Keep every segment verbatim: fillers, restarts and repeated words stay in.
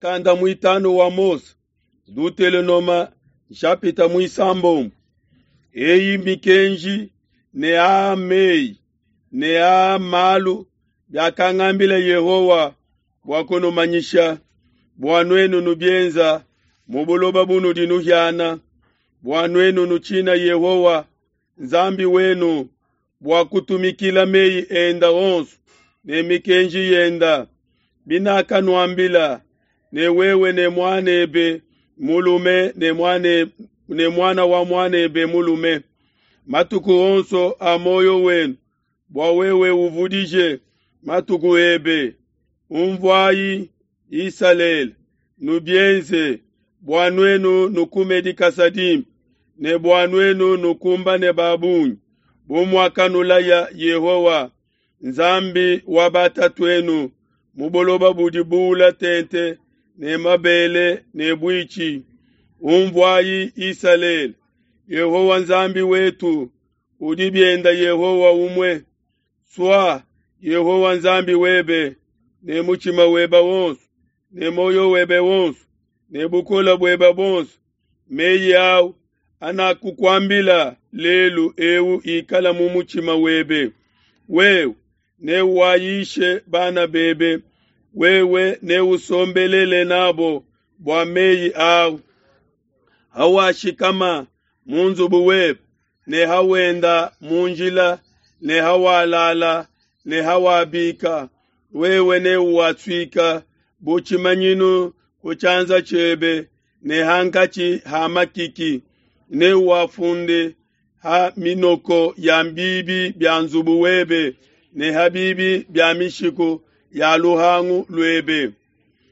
Mukanda muitanu wa Mose, Dutelonoma nshapita muisambombo. Eyi mikenji ne aa meyi ne aa malu biakangambila Yehowa bua kunumanyisha, bua nuenu nubienza mu buloba bunudi nuhiana, bua nuenu nutshina Yehowa Nzambi wenu, bua kutumikila meyi enda onso ne mikenji yenda binakanuambila, ne wewe ne muanebe mulume ne muane ne muana wa muanebe mulume matuku onso a muoyo wenu, bua wewe uvudije matuku ebe. Unvuayi, Isalele, nubienze, bua nuenu nukume dikasa dimpe, ne bua nuenu nukumbane ba bungi, bu muakanulaya Yehowa, Nzambi wa batatuenu, mu buloba budi buula tente ne mabele ne buitshi. Unvuayi, Isalele, Yehowa Nzambi wetu udi bienda Yehowa umue. Sua Yehowa Nzambi webe ne mutshima webe wonso, ne muoyo webe wonso, ne bukole buebe buonso. Meyi au anakukuambila lelu eu ikala mu mutshima webe. Wewe newayishe bana bebe, wewe neusombelele nabo bua meyi au. Hawashikama mu nzubu webe, ne hawenda mu njila, ne hawalala, ne hawabika, wewe neuwasuika bu tshimanyinu ku tshianza tshiebe ne hankatshi ha makiki, neuwafunde ha minoko ya bibi bia nzubu webe ne ha bibi bia mishiku ya luhangu luebe.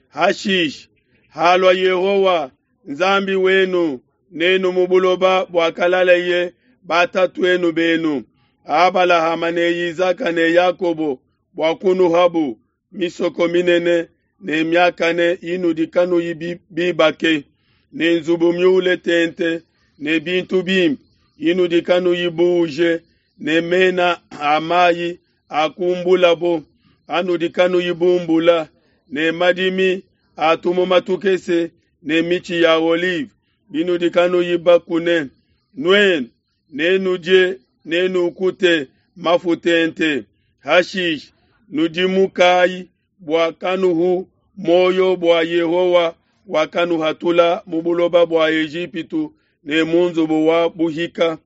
Hashishe halua Yehowa Nzambi wenu nenu mu buloba buakalaleye batatuenu benu, Abalahama ne Isaka ne Yakobo, bua kunuhabu misoko minene ne miakane inudi kanuyi bibake, ne nzubu miule tente ne bintu bimpe inudi kanuyi buuje, ne mena a mayi akumbulabo anudi kanuyi bumbula, ne madimi a tumuma tukese ne mitshi ya olive binudi kanuyi bakune. Nuenu nenudie nenukute mafu tente. Hashishe nudimukayi bua kanuhu muoyo bua Yehowa wakanuhatula mu buloba bua Ejipitu ne mu nzubu wa buhika.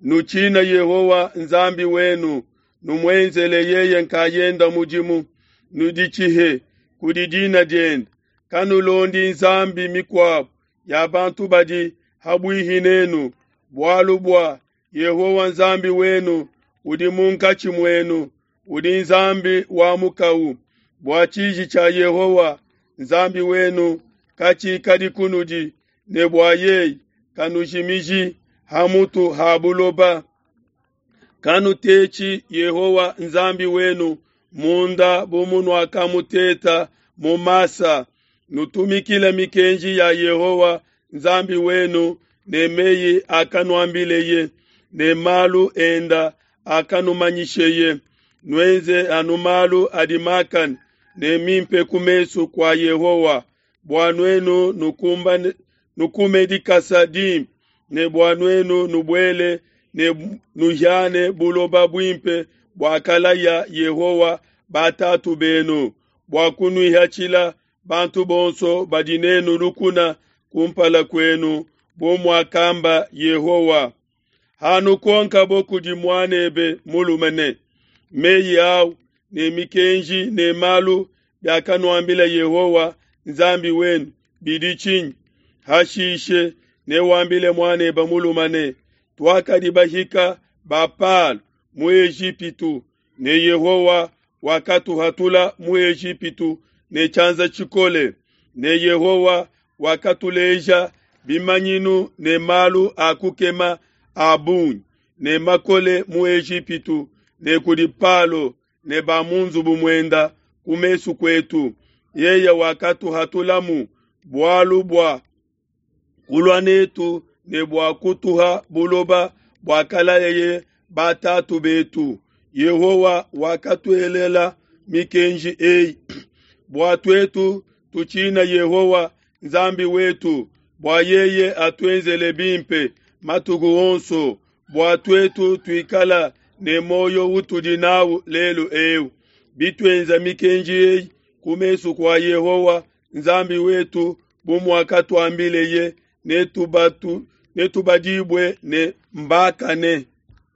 Nutshina Yehowa Nzambi wenu, numuenzele yeye nkayenda mudimu, nuditshihe kudi dina diende. Kanulondi nzambi mikuabo ya bantu badi habuihi nenu, bualu bua Yehowa Nzambi wenu udi munkatshi muenu, udi Nzambi wa mukau. Bua tshiji tshia Yehowa Nzambi wenu katshikadi kunudi, ne bua yeye kanujimiji ha mutu ha buloba. Kanutetshi Yehowa Nzambi wenu munda bu munuakamuteta mu Masa. Nutumikile mikenji ya Yehowa Nzambi wenu ne meyi akanuambileye, ne malu enda akanumanyisheye. Nuenze anu malu adi makane ne mimpe ku mesu kua Yehowa, bua nuenu nukumbane nukume dikasa dimpe, ne bua nuenu nubuele ne nuhiane buloba buimpe buakalaya Yehowa batatu benu, bua kunuihatshila bantu bonso badi nenu lukuna kumpala kuenu, bu muakamba Yehowa. Hanukonkabo kudi muanebe mulume ne, meyi au ne mikenji ne malu biakanuambila Yehowa Nzambi wenu bidi tshinyi? Hashishe newambile muanebe mulume ne, tuakadi bahika ba Palo mu Ejipitu, ne Yehowa wakatuhatula mu Ejipitu ne tshianza tshikole, ne Yehowa wakatuleja bimanyinu ne malu a kukema a bungi ne makole mu Ejipitu ne kudi Palo ne ba mu nzubu muenda ku mesu kuetu. Yeye wakatuhatulamu bualu bua kulua netu ne bua kutuha buloba buakalayeye batatu betu. Yehowa wakatuelela mikenji eyi bua tuetu tutshina Yehowa, Nzambi wetu, bua yeye atuenzele bimpe matuku onso, bua tuetu tuikala ne muoyo utudi nawu lelu eu. Bituenza mikenji eyi ku mesu kua Yehowa, Nzambi wetu, bu muakatuambileye, netubatu netubadibue ne mbakane.